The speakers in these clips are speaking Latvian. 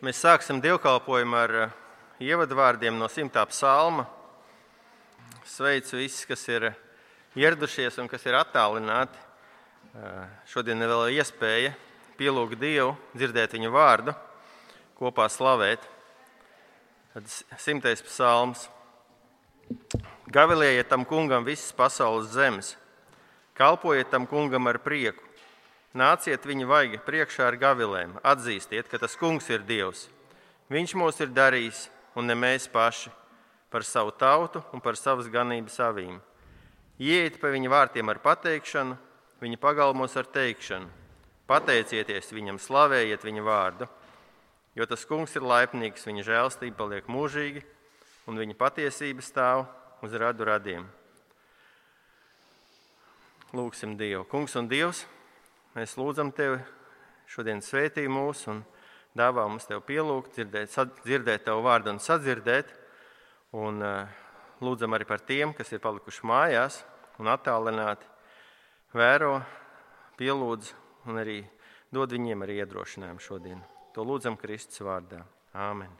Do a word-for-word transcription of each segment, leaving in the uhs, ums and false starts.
Mēs sāksim dievkalpojumu ar ievadvārdiem no simtā psalma. Sveicu visus, kas ir ieradušies un kas ir attālināti. Šodien ir vēl iespēja pielūgt Dievu, dzirdēt viņa vārdu, kopā slavēt. Tad simtais psalms. Gavilējiet tam kungam visas pasaules zemes. Kalpojiet tam kungam ar prieku. Nāciet viņa vaiga priekšā ar gavilēm. Atzīstiet, ka tas kungs ir Dievs. Viņš mūs ir darījis, un ne mēs paši, par savu tautu un par savas ganības avīm. Ieiet pa viņa vārtiem ar pateikšanu, viņa pagalmos ar teikšanu. Pateicieties viņam, slavējiet viņa vārdu, jo tas kungs ir laipnīgs, viņa žēlstība paliek mūžīgi, un viņa patiesība stāv uz radu radiem. Lūgsim Dievu. Kungs un Dievs, mēs lūdzam Tevi šodien svētī mūs un dāvā mums Tev pielūgt, dzirdēt, dzirdēt Tev vārdu un sadzirdēt. Un lūdzam arī par tiem, kas ir palikuši mājās un attālināti. Vēro, pielūdz un arī dod viņiem arī iedrošinājumu šodien. To lūdzam Kristus vārdā. Āmen.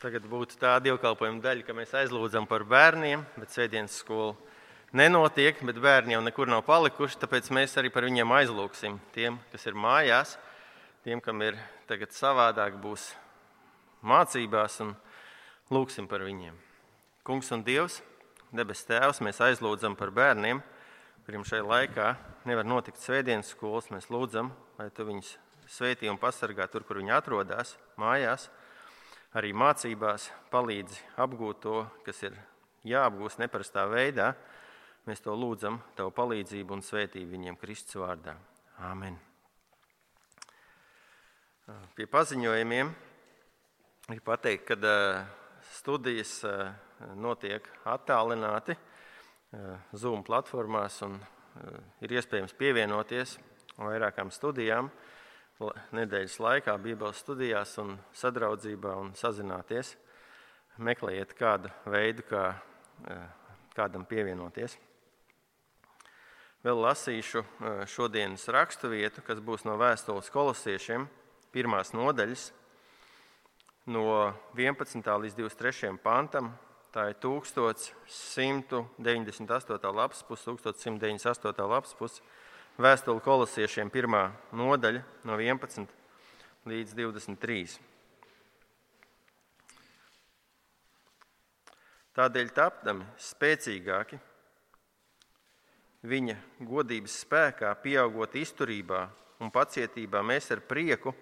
Tagad būtu tā dievkalpojuma daļa, ka mēs aizlūdzam par bērniem, bet svētdienas skola nenotiek, bet bērni jau nekur nav palikuši, tāpēc mēs arī par viņiem aizlūksim. Tiem, kas ir mājās, tiem, kam ir tagad savādāk, būs mācībās un lūksim par viņiem. Kungs un Dievs, debes Tēvs, mēs aizlūdzam par bērniem, kuriem šajā laikā nevar notikt svētdienas skolas. Mēs lūdzam, lai Tu viņus svētī un pasargā tur, kur viņi atrodas, mājās, arī mācībās, palīdzi apgūt to, kas ir jāapgūst neparastā veidā. Mēs to lūdzam, Tavu palīdzību un svētību viņiem Kristus vārdā. Āmen. Pie paziņojumiem ir pateikt, ka studijas notiek attālināti Zoom platformās un ir iespējams pievienoties vairākām studijām nedēļas laikā, Bībeles studijās un sadraudzībā un sazināties. Meklējiet kādu veidu, kā kādam pievienoties. Vēl lasīšu šodienas rakstu vietu, kas būs no vēstules Kolosiešiem, pirmās nodaļas, no vienpadsmitā līdz divdesmit trešajam pantam. Tā ir tūkstoš simts deviņdesmit astotā lapas puse, tūkstoš simts deviņdesmit astotā lapas puse, vēstule Kolosiešiem pirmā nodaļa, no vienpadsmit līdz divdesmit trīs. Tādēļ tapdami spēcīgāki, viņa godības spēkā, pieaugot izturībā un pacietībā, mēs ar prieku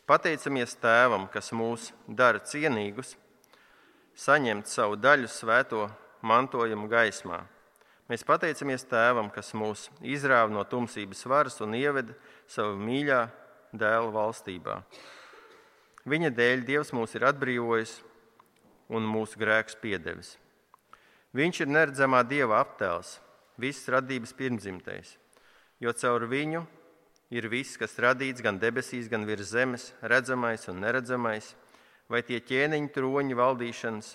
pateicamies Tēvam, kas mūs dara cienīgus, saņemt savu daļu svēto mantojumu gaismā. Mēs pateicamies Tēvam, kas mūs izrāva no tumsības varas un ieveda savu mīļā dēla valstībā. Viņa dēļ Dievs mūs ir atbrīvojis un mūsu grēkus piedevis. Viņš ir neredzamā Dieva aptēls, viss radības pirmdzimtais, jo caur viņu ir viss, kas radīts gan debesīs, gan virs zemes, redzamais un neredzamais, vai tie ķēniņu troņi valdīšanas,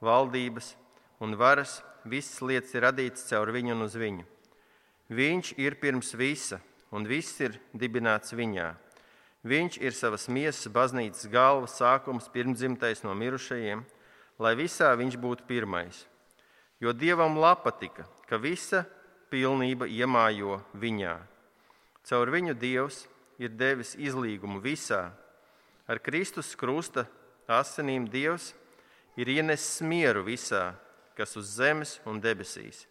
valdības un varas, visas lietas ir radītas caur viņu un uz viņu. Viņš ir pirms visa, un viss ir dibināts viņā. Viņš ir savas miesas baznīcas galva, sākums, pirmdzimtais no mirušajiem, lai visā viņš būtu pirmais. Jo Dievam patika, ka visa pilnība iemājo viņā. Caur viņu Dievs ir devis izlīgumu visā. Ar Kristus krusta asinīm Dievs ir ienesis mieru visā, kas uz zemes un debesīs.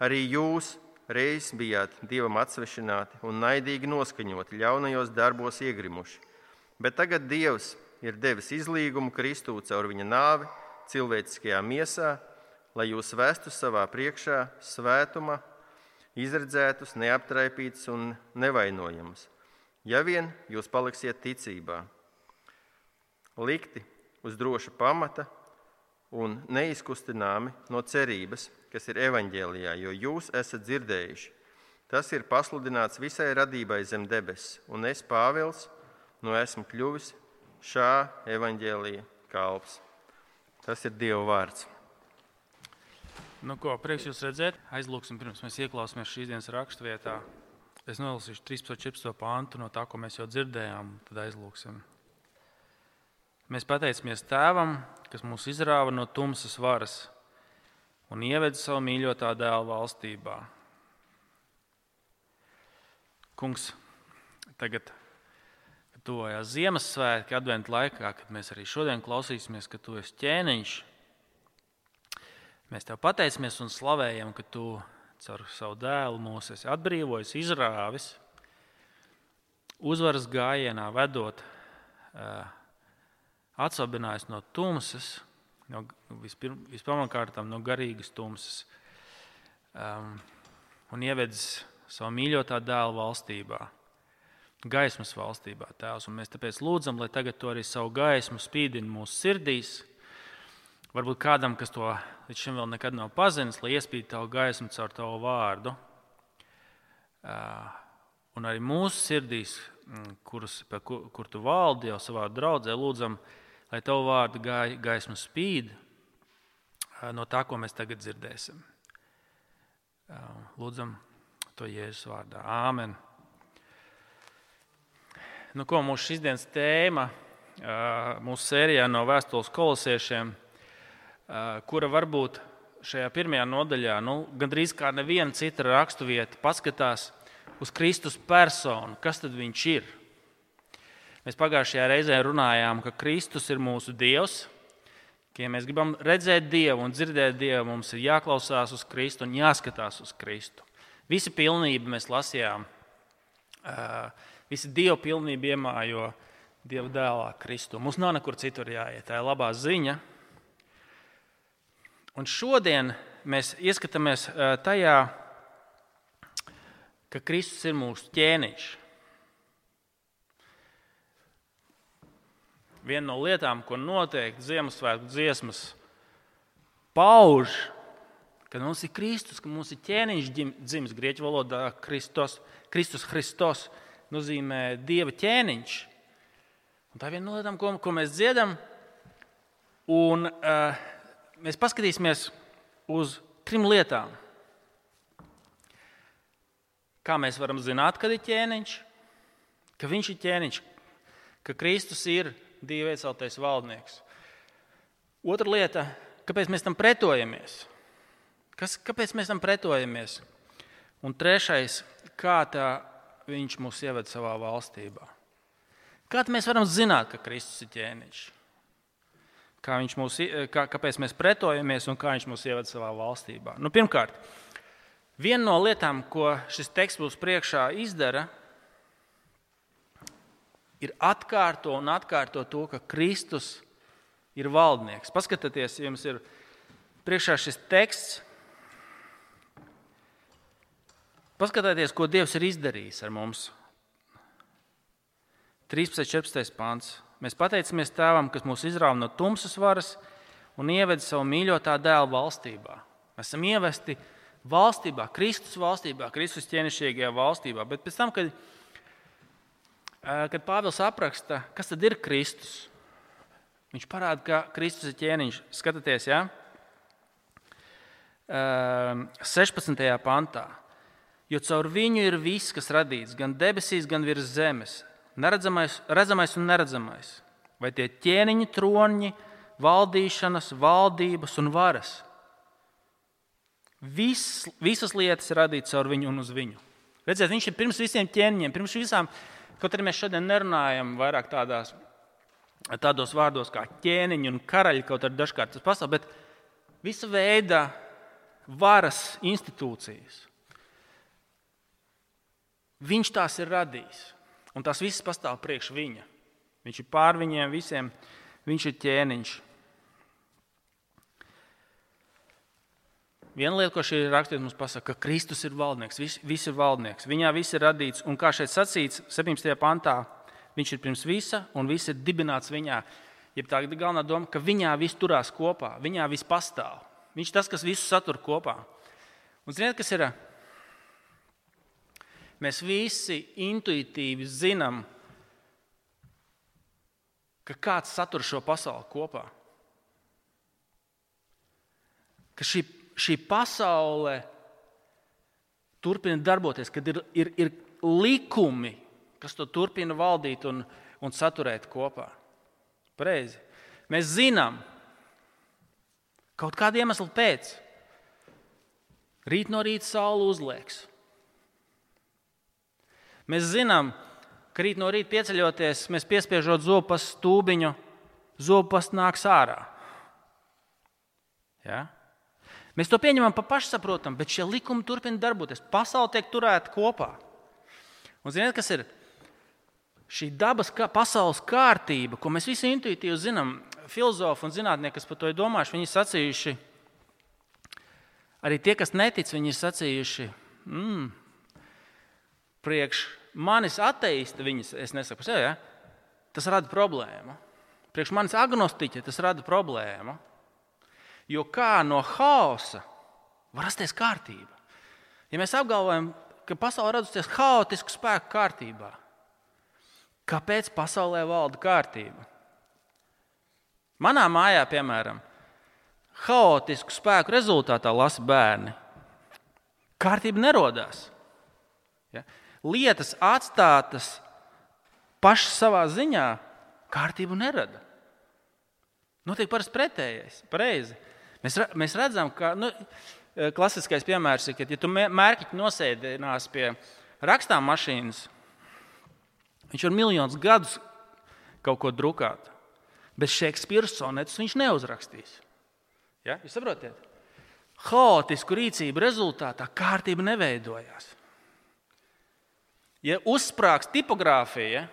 Arī jūs reiz bijāt Dievam atsvešināti un naidīgi noskaņoti, ļaunajos darbos iegrimuši. Bet tagad Dievs ir devis izlīgumu Kristū caur viņa nāvi cilvēciskajā miesā, lai jūs vestu savā priekšā svētuma, izredzētus, neaptraipītus un nevainojamus, ja vien jūs paliksiet ticībā. Likti uz droša pamata un neizkustināmi no cerības, kas ir evaņģēlijā, jo jūs esat dzirdējuši. Tas ir pasludināts visai radībai zem debesis, un es, Pāvils, nu esmu kļuvis šā evaņģēlija kalps. Tas ir Dieva vārds. Nu ko, prieks jūs redzēt. Aizlūksim, pirms mēs ieklausāmies šīs dienas rakstvietā. Es nolasīšu trīspadsmit četrpadsmit pāntu no tā, ko mēs jau dzirdējām, tad aizlūksim. Mēs pateicamies Tēvam, kas mūs izrāva no tumsas varas un ieveda savu mīļotā dēla valstībā. Kungs, tagad, kad tuvojās Ziemassvētki, adventa laikā, kad mēs arī šodien klausīsimies, ka tu esi ķēniņš, mēs tev pateicamies un slavējam, ka tu caur savu dēlu mūs esi atbrīvojis, izrāvis, uzvaras gājienā vedot, atsabinājis no tumsas, no, vispirmkārtām no garīgas tumsas, um, un ievedis savu mīļotā dēla valstībā, gaismas valstībā, Tēvs. Un mēs tāpēc lūdzam, lai tagad to arī savu gaismu spīdina mūsu sirdīs. Varbūt kādam, kas to līdz šim vēl nekad nav pazinis, lai iespīd tavu gaismu caur tavu vārdu. Uh, un arī mūsu sirdīs, kurus, kur, kur tu valdi jau savā draudzē, lūdzam, lai tavu vārdu gaismu spīd no tā, ko mēs tagad dzirdēsim. Lūdzam to Jēzus vārdā. Āmen. Nu, ko mūsu šīsdienas tēma mūsu sērijā no vēstules kolosiešiem, kura varbūt šajā pirmajā nodaļā, nu, gandrīz kā neviena cita raksturvieta, paskatās uz Kristus personu, kas tad viņš ir. Mēs pagājušajā reizē runājām, ka Kristus ir mūsu Dievs, ka ja mēs gribam redzēt Dievu un dzirdēt Dievu, mums ir jāklausās uz Kristu un jāskatās uz Kristu. Visa pilnība mēs lasījām, visa Dieva pilnība iemājo Dieva dēlā Kristu. Mums nav nekur citur jāiet, tā ir labā ziņa. Un šodien mēs ieskatāmies tajā, ka Kristus ir mūsu ķēniņš. Viena no lietām, ko noteikti Ziemassvētku dziesmas pauž, ka mums ir Kristus, ka mums ir ķēniņš dzimis. Grieķu valodā Kristos, Kristus Hristos nozīmē Dieva ķēniņš. Un tā ir viena no lietām, ko, ko mēs dziedam. Un uh, mēs paskatīsimies uz trim lietām. Kā mēs varam zināt, kad ir ķēniņš, ka viņš ir ķēniņš, ka Kristus ir Dieva ieceltais valdnieks. Otra lieta, kāpēc mēs tam pretojamies? Kas, kāpēc mēs tam pretojamies? Un trešais, kā tā viņš mūs ieved savā valstībā. Kā mēs varam zināt, ka Kristus ir ķēniņš? Kā viņš mūs, kā, kāpēc mēs pretojamies un kā viņš mūs ieved savā valstībā? Nu, pirmkārt, viena no lietām, ko šis teksts mums priekšā izdara, ir atkārto un atkārto to, ka Kristus ir valdnieks. Paskatieties, ja jums ir priekšā šis teksts. Paskatieties, ko Dievs ir izdarījis ar mums. trīspadsmit četrpadsmit pants. Mēs pateicamies Tēvam, kas mūs izrāva no tumsas varas un ieveda savu mīļotā dēla valstībā. Mēs esam ievesti valstībā, Kristus valstībā, Kristus ķēnišķīgajā valstībā. Bet pēc tam, kad Kad Pāvils apraksta, kas tad ir Kristus, viņš parāda, ka Kristus ir ķēniņš. Skatieties, ja? sešpadsmitajā pantā. Jo caur viņu ir viss, kas radīts, gan debesīs, gan virs zemes, neredzamais, redzamais un neredzamais. Vai tie ķēniņi, troņi, valdīšanas, valdības un varas. Vis, visas lietas ir radītas caur viņu un uz viņu. Redziet, viņš ir pirms visiem ķēniņiem, pirms visām. Kaut arī mēs šodien nerunājam vairāk tādās, tādos vārdos kā ķēniņi un karaļi, kaut arī dažkārt tas pastāv, bet visa veida varas institūcijas. Viņš tās ir radījis, un tās visas pastāv priekš viņa. Viņš ir pār viņiem visiem, viņš ir ķēniņš. Viena lieta, ko šī rakstīts mums pasaka, ka Kristus ir valdnieks, viss, viss ir valdnieks. Viņā viss ir radīts, un kā šeit sacīts, septiņpadsmitajā pantā, viņš ir pirms visa, un viss ir dibināts viņā. Jeb tā ir galvenā doma, ka viņā viss turās kopā, viņā viss pastāv. Viņš ir tas, kas visu satur kopā. Un ziniet, kas ir? Mēs visi intuitīvi zinām, ka kāds satur šo pasauli kopā. Ka šī Šī pasaule turpina darboties, kad ir, ir, ir likumi, kas to turpina valdīt un, un saturēt kopā. Pareizi. Mēs zinām, kaut kādu iemeslu pēc, rīt no rīta saule uzlieks. Mēs zinām, ka rīt no rīta pieceļoties, mēs piespiežot zopas stūbiņu, zopas nāks ārā. Ja? Mēs to pieņemam pa pašsaprotam, bet šie likumi turpina darboties. Pasaule tiek turēta kopā. Un ziniet, kas ir? Šī dabas kā, pasaules kārtība, ko mēs visi intuitīvi zinām, filozofi un zinātnieki, kas par to ir domājuši, viņi ir sacījuši, arī tie, kas netic, viņi ir sacījuši, mm, priekš manis ateista, viņas, es nesaku par sevi, ja? Tas rada problēmu. Priekš manis agnostiķa tas rada problēmu. Jo kā no haosa var rasties kārtība? Ja mēs apgalvojam, ka pasaulē radusies haotisku spēku kārtībā, kāpēc pasaulē valda kārtība? Manā mājā, piemēram, haotisku spēku rezultātā lasa bērni. Kārtība nerodās. Ja? Lietas atstātas pašas savā ziņā kārtību nerada. Notiek parasti pretējais, pareizi. Mēs, mēs redzam, ka nu, klasiskais piemērs ir, ka ja tu mērķiķi nosēdinās pie rakstām mašīnas, viņš var miljonus gadus kaut ko drukāt, bet Šekspīra sonetus viņš neuzrakstīs. Ja? Jūs saprotiet? Haotisku rīcību rezultātā kārtība neveidojās. Ja uzsprāgs tipogrāfija,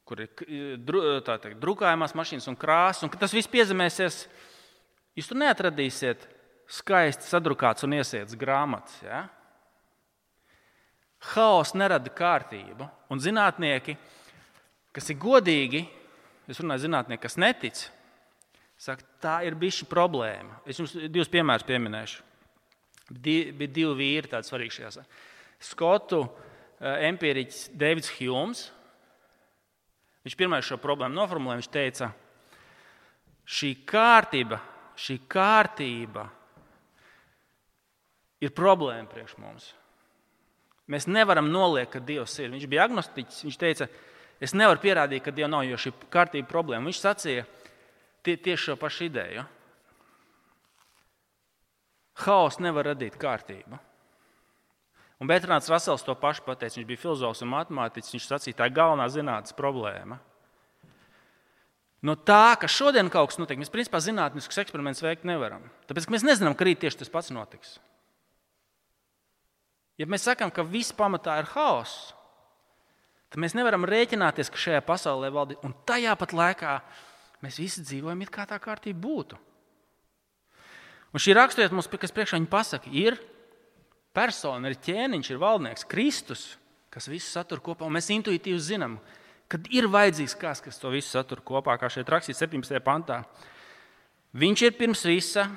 kur ir tā teikt, drukājumās mašīnas un krāsas, un ka tas viss piezemēsies, jūs tur neatradīsiet skaisti sadrukāts un iesietas grāmatas. Ja? Haoss nerada kārtību, un zinātnieki, kas ir godīgi, es runāju zinātnieki, kas netic, saka, tā ir bišķi problēma. Es jums divus piemērus pieminēšu. Bija divi vīri tādi svarīgi šajās. Skotu empīriķis Deivids Hjūms, viņš pirmais šo problēmu noformulēja, viņš teica, šī kārtība, šī kārtība ir problēma priekš mums. Mēs nevaram noliekt, ka Dievs ir. Viņš bija agnostiķis, viņš teica, es nevaru pierādīt, ka Dieva nav, jo šī kārtība problēma. Viņš sacīja tie, tieši šo pašu ideju. Haoss nevar radīt kārtību. Un Bertrāns Rasels to pašu pateica, viņš bija filozofs un matemātiķis, viņš sacīja, tā ir galvenā zinātnes problēma. No tā, ka šodien kaut kas notiek, mēs principā zinātniskus eksperimentus veikt nevaram. Tāpēc, ka mēs nezinām, ka rīt tieši tas pats notiks. Ja mēs sakām, ka viss pamatā ir haoss, tad mēs nevaram rēķināties, ka šajā pasaulē valda, un tajā pat laikā mēs visi dzīvojam, it kā tā kārtība būtu. Un šī raksturvieta mums, kas priekšā viņa pasaka, ir persona, ir ķēniņš, ir valdnieks, Kristus, kas visu satur kopā, un mēs intuitīvi zinām, kad ir vajadzīgs kāds, kas to visu satur kopā, kā šeit rakstīts septiņpadsmitajā pantā. Viņš ir pirms visa,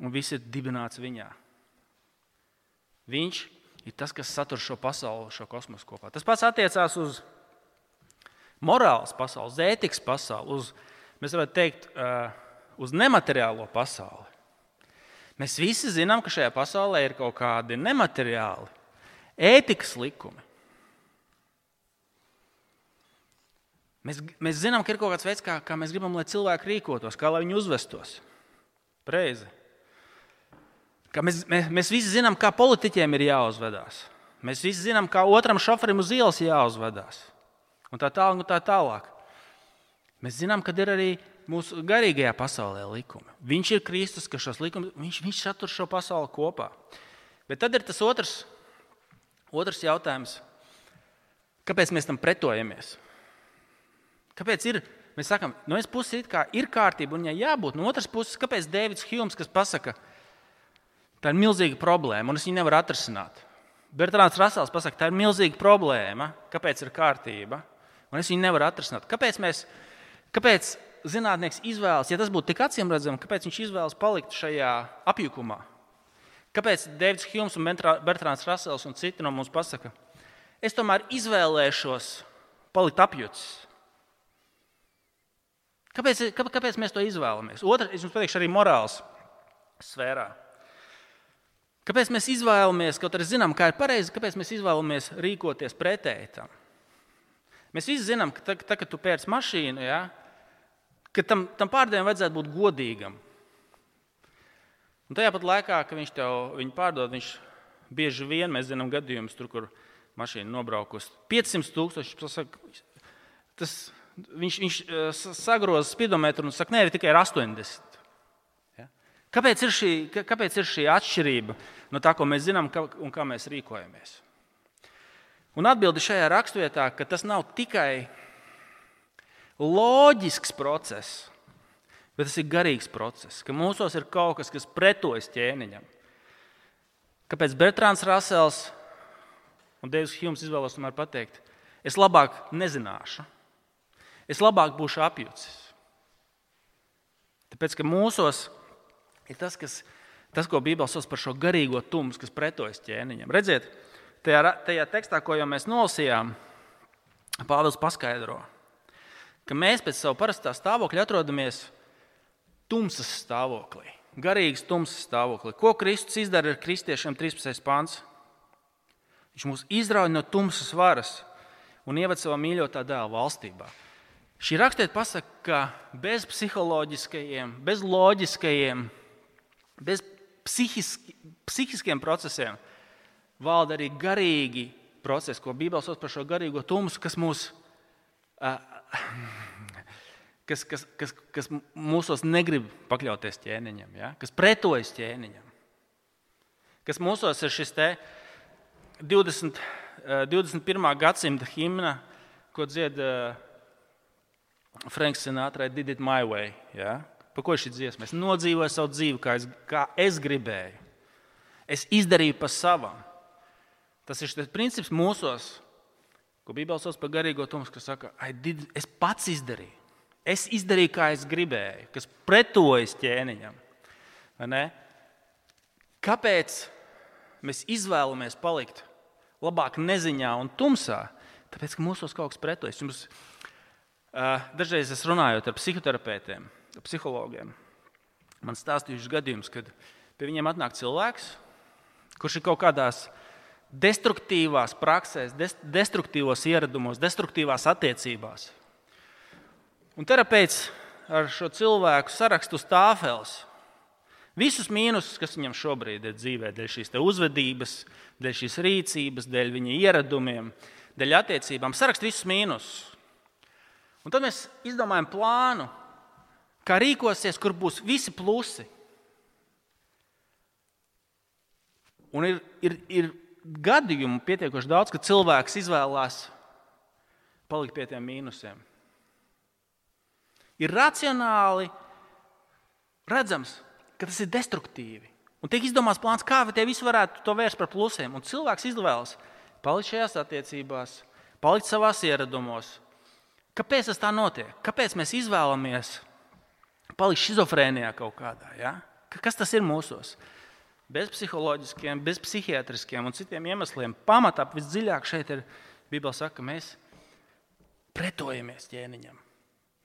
un viss ir dibināts viņā. Viņš ir tas, kas satur šo pasauli, šo kosmosu kopā. Tas pats attiecās uz morāles pasauli, uz ētikas pasauli, uz, mēs varētu teikt, uz nemateriālo pasauli. Mēs visi zinām, ka šajā pasaulē ir kaut kādi nemateriāli, ētikas likumi. Mēs, mēs zinām, ka ir kaut kāds veids, kā, kā mēs gribam, lai cilvēki rīkotos, kā lai viņi uzvestos. Pareizi. Ka mēs, mēs, mēs visi zinām, kā politiķiem ir jāuzvedās. Mēs visi zinām, kā otram šoferim uz ielas jāuzvedās. Un tā tālāk, un tā tālāk. Mēs zinām, ka ir arī mūsu garīgajā pasaulē likumi. Viņš ir Kristus, ka šos likumus, viņš, viņš satur šo pasauli kopā. Bet tad ir tas otrs, otrs jautājums. Kāpēc mēs tam pretojamies? Kāpēc ir, mēs sakam, no vienas puses it kā ir kārtība un ja jābūt, no otras puses, kāpēc Deivids Hjūms, kas pasaka, tā ir milzīga problēma un es viņu nevaru atrisināt. Bertrāns Rasels pasaka, tā ir milzīga problēma, kāpēc ir kārtība un es viņu nevaru atrisināt. Kāpēc mēs, kāpēc zinātnieks izvēlas, ja tas būtu tik acīmredzami, kāpēc viņš izvēlas palikt šajā apjukumā? Kāpēc Deivids Hjūms un Bertrāns Rasels un citi no mums pasaka, es tomēr izvēlēšos palikt apjucis? Kāpēc, kāpēc mēs to izvēlamies? Otra, es jums pateikšu arī morāls sfērā. Kāpēc mēs izvēlamies, kaut arī zinām, kā ir pareizi, kāpēc mēs izvēlamies rīkoties pretēji tam? Mēs visi zinām, ka tad, kad tu pērc mašīnu, ja, ka tam, tam pārdevējam vajadzētu būt godīgam. Un tajā pat laikā, kad viņš tev viņu pārdod, viņš bieži vien, mēs zinām gadījumus, tur, kur mašīna nobraukusi piecsimt tūkstoši, tas, viņš, viņš sagroza spidometru un saka, nē, tikai ir astoņdesmit. Ja? Kāpēc ir šī, kāpēc ir šī atšķirība no tā, ko mēs zinām un kā mēs rīkojamies? Un atbildi šajā raksturvietā, ka tas nav tikai loģisks process, bet tas ir garīgs process, ka mūsos ir kaut kas, kas pretojas ķēniņam. Kāpēc Bertrands Rasels un Deivs Hjums izvēlos tomēr pateikt, es labāk nezināšu, es labāk būšu apjucis. Tāpēc, ka mūsos ir tas, kas, tas ko Bībele sauc par šo garīgo tumsu, kas pretojas ķēniņam. Redziet, tajā, tajā tekstā, ko jau mēs nolasījām, Pāvils paskaidro, ka mēs pēc savu parastā stāvokļa atrodamies tumsas stāvoklī, garīgas tumsas stāvoklī. Ko Kristus izdara ar kristiešiem trīspadsmitais pants? Viņš mūs izrauj no tumsas varas un ieved savā mīļotā dēla valstībā. Šī rakstiet pasaka, ka bez psiholoģiskajiem, bez loģiskajiem, bez psihiski, psihiskiem procesiem valda arī garīgi procesi, ko Bībele sauc par šo garīgo tumsu, kas mūs, kas, kas, kas, kas mūsos negrib pakļauties ķēniņam, ja? Kas pretojas ķēniņam. Kas mūsos ir šis te divdesmit, divdesmit pirmā gadsimta himna, ko dzied Franks Sinatra, I did it my way. Ja? Par ko ir šī dziesma? Es nodzīvoju savu dzīvi, kā es, kā es gribēju. Es izdarīju pa savam. Tas ir šis princips mūsos, ko Bībele sauc par garīgo tumsu, kas saka, I did, es pats izdarīju. Es izdarīju, kā es gribēju, kas pretojas ķēniņam. Vai ne? Kāpēc mēs izvēlamies palikt labāk neziņā un tumsā? Tāpēc, ka mūsos kaut kas pretojas. Jums, uh, dažreiz es runājot ar psihoterapeitiem, psihologiem, man stāstījuši gadījums, kad pie viņiem atnāk cilvēks, kurš ir kaut kādās destruktīvās praksēs, destruktīvos ieradumos, destruktīvās attiecībās. Un terapeits ar šo cilvēku sarakstu uz tāfeles visus mīnusus, kas viņam šobrīd ir dzīvē, dēļ šīs te uzvedības, dēļ šīs rīcības, dēļ viņa ieradumiem, dēļ attiecībām, sarakst visus mīnusus. Un tad mēs izdomājam plānu, kā rīkosies, kur būs visi plusi. Un ir, ir, ir gadījumu pietiekoši daudz, ka cilvēks izvēlās palikt pie tiem mīnusiem. Ir racionāli redzams, ka tas ir destruktīvi. Un tiek izdomāts plāns, kā tie visi varētu to vērst par plusiem. Un cilvēks izvēlas palikt šajās attiecībās, palikt savās ieradumos. Kāpēc tas tā notiek? Kāpēc mēs izvēlamies palikt šizofrēnijā kaut kādā? Ja? Kas tas ir mūsos? Bez psiholoģiskiem, bez psihiatriskiem un citiem iemesliem. Pamatā visdziļāk šeit ir, Bībele saka, ka mēs pretojamies ķēniņam.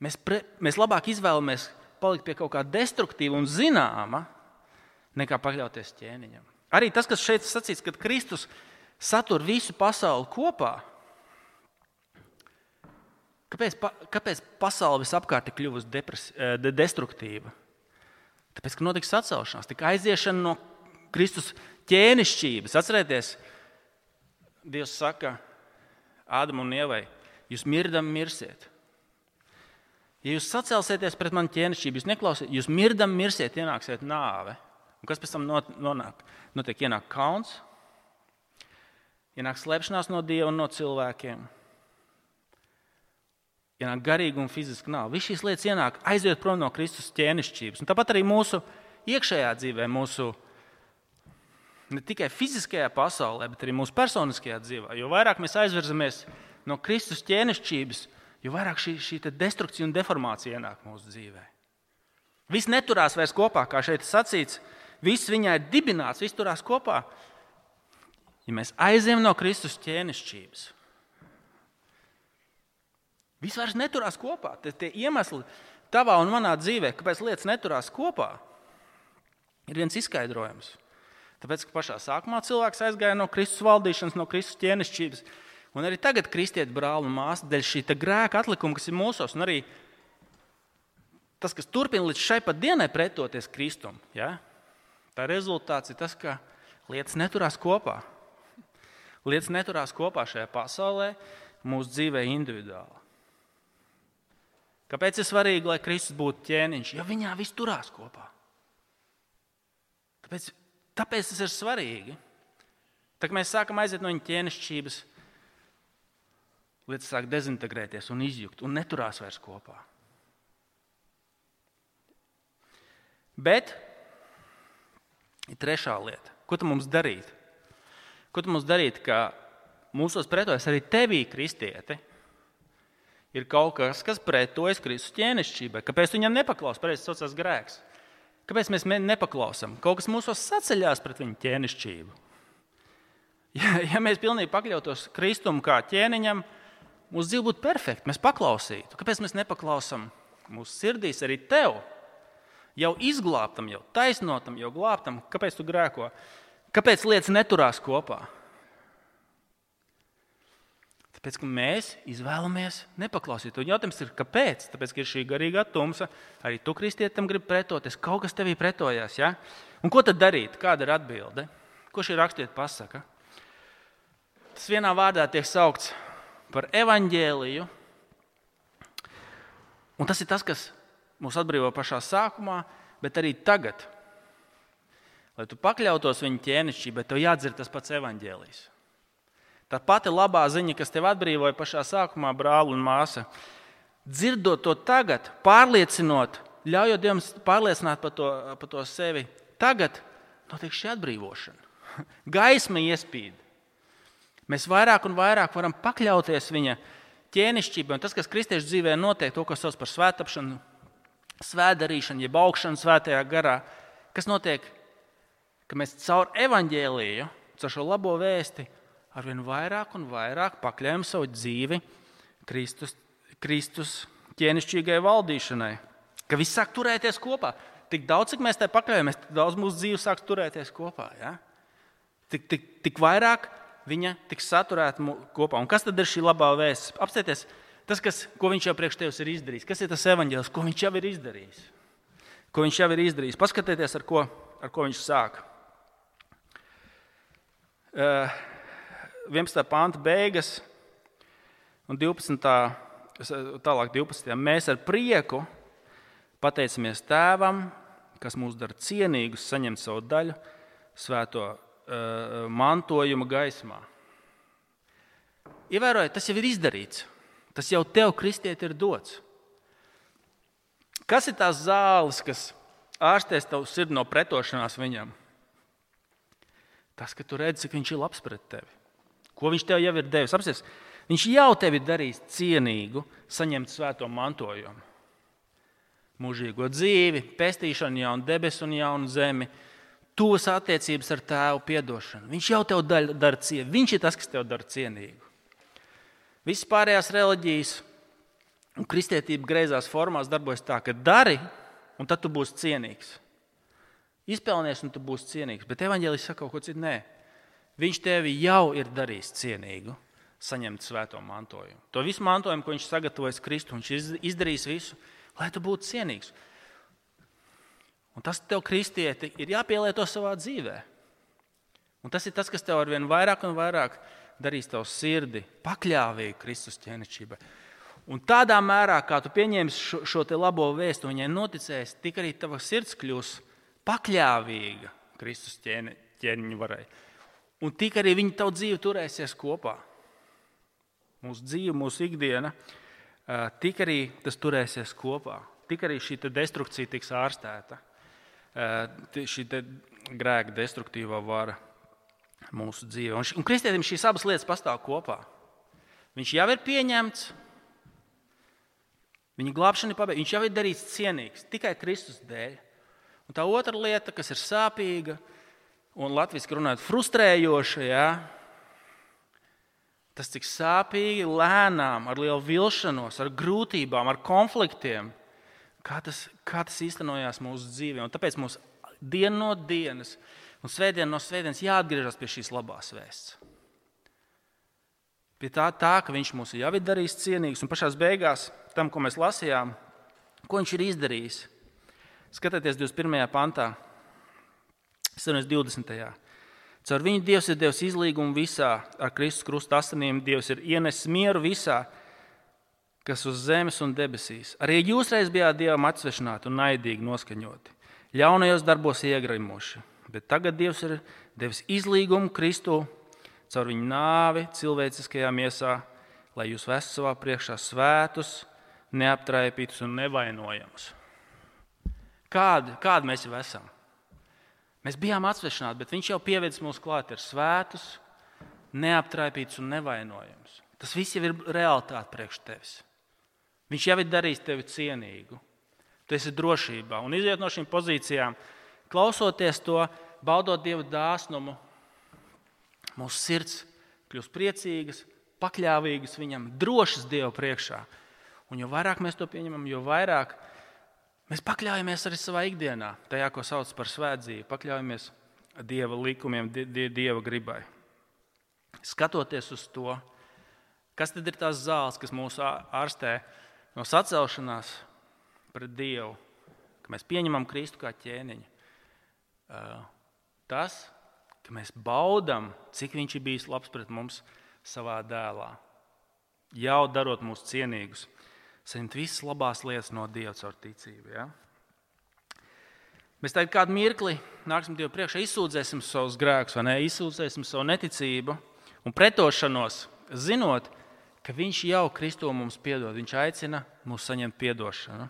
Mēs, pre, mēs labāk izvēlamies palikt pie kaut kā destruktīva un zināma, nekā pakļauties ķēniņam. Arī tas, kas šeit sacīts, kad Kristus satur visu pasauli kopā, kāpēc, kāpēc pasaule visapkārt ir kļuvusi depres, de, destruktīva? Tāpēc, ka notiks sacelšanās, tika aiziešana no Kristus ķēnišķības. Atcerieties, Dievs saka Ādam un Ievai, jūs mirdam mirsiet. Ja jūs sacelsieties pret mani ķēnišķību, jūs neklausiet, jūs mirdam mirsiet, ienāksiet nāve. Un kas pēc tam nonāk? Notiek ienāk kauns, ienāk slēpšanās no Dieva un no cilvēkiem, ienāk garīga un fiziska nāve. Viss šīs lietas ienāk, aiziet prom no Kristus ķēnišķības. Un tāpat arī mūsu iekšējā dzīvē, mūsu ne tikai fiziskajā pasaulē, bet arī mūsu personiskajā dzīvē. Jo vairāk mēs aizvirzamies no Kristus ķēnišķības, jo vairāk šī, šī destrukcija un deformācija ienāk mūsu dzīvē. Viss neturās vairs kopā, kā šeit sacīts, viss viņā ir dibināts, viss turās kopā. Ja mēs aizējam no Kristus ķēnišķības, viss vairs neturās kopā. Tie, tie iemesli tavā un manā dzīvē, kāpēc lietas neturās kopā, ir viens izskaidrojums. Tāpēc, ka pašā sākumā cilvēks aizgāja no Kristus valdīšanas, no Kristus ķēnišķības, Un arī tagad kristieti brāli un māsas dēļ šī grēka atlikuma, kas ir mūsos, un arī tas, kas turpina līdz šai pat dienai pretoties Kristum, ja? Tā rezultāts ir tas, ka lietas neturās kopā. Lietas neturās kopā šajā pasaulē, mūsu dzīvē individuāli. Kāpēc ir svarīgi, lai Kristus būtu ķēniņš? Jo viņā viss turās kopā. Tāpēc, tāpēc tas ir svarīgi. Tā kā mēs sākam aiziet no viņa ķēnišķības, lietas sāk dezintegrēties un izjukt un neturās vairs kopā. Bet ir trešā lieta. Ko tu mums darīt? Ko tu mums darīt, ka mūsos pretojas arī tevī, kristieti, ir kaut kas, kas pretojas Kristus ķēnišķībai? Kāpēc tu viņam nepaklaus? Pareizi saucās grēks. Kāpēc mēs nepaklausam? Kaut kas mūsos saceļās pret viņu ķēnišķību. Ja, ja mēs pilnīgi pakļautos Kristum kā ķēniņam, mūsu dzīve būtu perfekta, mēs paklausītu. Kāpēc mēs nepaklausam mūsu sirdīs arī tev? Jau izglābtam, jau taisnotam, jau glābtam. Kāpēc tu grēko? Kāpēc lietas neturās kopā? Tāpēc, ka mēs izvēlamies nepaklausīt. Un jautājums ir, kāpēc? Tāpēc, ka ir šī garīgā tumsa, arī tu, kristietim, gribi pretoties, kaut kas tevī pretojās. Ja? Un ko tad darīt? Kāda ir atbilde? Ko šī rakstiet pasaka? Tas vienā vārdā tiek saukts par evaņģēliju. Un tas ir tas, kas mūs atbrīvo pašā sākumā, bet arī tagad. Lai tu pakļautos viņa ķēnišķībai, tev jādzird tas pats evaņģēlijs. Tā pati labā ziņa, kas tev atbrīvoja pašā sākumā, brāli un māsa, dzirdot to tagad, pārliecinot, ļaujot Dievam pārliecināt par to, par to sevi, tagad notiek šī atbrīvošana. Gaisma iespīd. Mēs vairāk un vairāk varam pakļauties viņa ķēnišķībai. Un tas, kas kristiešu dzīvē notiek, to, ko sauc par svētapšanu, svētdarīšanu, jeb augšanu svētajā garā, kas notiek, ka mēs caur evaņģēliju, caur šo labo vēsti, arvien vairāk un vairāk pakļaujam savu dzīvi Kristus, Kristus ķēnišķīgai valdīšanai. Ka viss sāk turēties kopā. Tik daudz, cik mēs tai pakļaujamies, tik daudz mūsu dzīve sāk turēties kopā. Ja? Tik, tik, tik vairāk viņa tiks saturēta kopā. Un kas tad ir šī labā vēsts? Apstieties, tas, kas, ko viņš jau priekš tevis ir izdarījis. Kas ir tas evaņģēlis, ko viņš jau ir izdarījis? Ko viņš jau ir izdarījis? Paskatieties, ar ko, ar ko viņš sāk. Uh, vienpadsmitā panta beigas un divpadsmitā tālāk divpadsmitajā Mēs ar prieku pateicamies Tēvam, kas mūs dara cienīgus saņemt savu daļu svēto uh, mantojuma gaismā. Ievērojiet, tas jau ir izdarīts. Tas jau tev, kristieti, ir dots. Kas ir tās zāles, kas ārstēs tavu sirdi no pretošanās viņam? Tas, ka tu redzi, cik viņš ir labs pret tevi. Ko viņš tev jau ir devis? Apsies, viņš jau tevi darīs cienīgu saņemt svēto mantojumu. Mūžīgo dzīvi, pestīšanu, jaunu debesu un jaunu zemi, tuvas attiecības ar Tēvu, piedošanu. Viņš jau tev dara cienīgu. Viņš ir tas, kas tev dara cienīgu. Visas pārējās reliģijas un kristietība greizās formās darbojas tā, ka dari, un tad tu būsi cienīgs. Izpelnies, un tu būsi cienīgs. Bet evaņģēlijs saka kaut ko citu. Nē. Viņš tevi jau ir darījis cienīgu saņemt svēto mantojumu. To visu mantojumu, ko viņš sagatavojas Kristu, viņš ir izdarījis visu, lai tu būtu cienīgs. Un tas tev, kristieti, ir jāpielieto savā dzīvē. Un tas ir tas, kas tev arvien vairāk un vairāk darīs tavu sirdi pakļāvīgu Kristus ķēnišķībai. Un tādā mērā, kā tu pieņemsi šo, šo te labo vēstu, viņai noticēsi, tik arī tava sirds kļūs pakļāvīga Kristus ķēni, ķēniņu varai. Un tik arī viņa tavu dzīvi turēsies kopā. Mūsu dzīve, mūsu ikdiena, tik arī tas turēsies kopā. Tik arī šī destrukcija tiks ārstēta. Šī grēka destruktīvā vara mūsu dzīvē. Un, un kristietim šīs abas lietas pastāv kopā. Viņš jau ir pieņemts, viņa glābšana ir pabeigta, viņš jau ir darīts cienīgs tikai Kristus dēļ. Un tā otra lieta, kas ir sāpīga un latviski runājot frustrējoša, ja, tas cik sāpīgi, lēnām, ar lielu vilšanos, ar grūtībām, ar konfliktiem, kā tas, kā tas īstenojās mūsu dzīvē. Un tāpēc mums dienu no dienas un svētdienu no svētdienas jāatgriežas pie šīs labās vēsts. pie tā, tā, ka viņš mūs jau ir darījis cienīgus, un pašās beigās tam, ko mēs lasījām, ko viņš ir izdarījis. Skatieties divdesmit pirmajā pantā, divdesmitajā Caur viņu Dievs ir devis izlīgumu visā, ar Kristus krusta asinīm Dievs ir ienesis mieru visā, kas uz zemes un debesīs. Arī jūs reiz bijāt Dievam atsvešināti un naidīgi noskaņoti, ļaunajos darbos iegrimuši, bet tagad Dievs ir devis izlīgumu Kristu caur viņu nāvi cilvēciskajā miesā, lai jūs vestu savā priekšā svētus, neaptraipītus un nevainojamus. Kādi, kādi mēs jau esam? Mēs bijām atsvešināti, bet viņš jau pievedis mūs klāt ar svētus, neaptraipītus un nevainojamus. Tas viss jau ir realitāte priekš tevis. Viņš jau ir darījis tevi cienīgu. Tu esi drošībā. Un iziet no šīm pozīcijām, klausoties to, baudot Dieva dāsnumu, mūsu sirds kļūst priecīgas, pakļāvīgas viņam, drošas Dieva priekšā. Un jo vairāk mēs to pieņemam, jo vairāk mēs pakļaujamies arī savā ikdienā, tajā, ko sauc par svētdzīvi, pakļaujamies Dieva likumiem, Dieva gribai. Skatoties uz to, kas tad ir tās zāles, kas mūs ārstē no sacelšanās pret Dievu, ka mēs pieņemam Kristu kā ķēniņu. Tas, ka mēs baudam, cik viņš ir bijis labs pret mums savā dēlā, jau darot mūs cienīgus. Saņemt visas labās lietas no Dieva caur ticību. Ja? Mēs tagad kādu mirkli nāksim Dievu priekšā, izsūdzēsim savus grēkus, vai ne? Izsūdzēsim savu neticību un pretošanos, zinot, ka viņš jau Kristo mums piedod. Viņš aicina mūs saņemt piedošanu.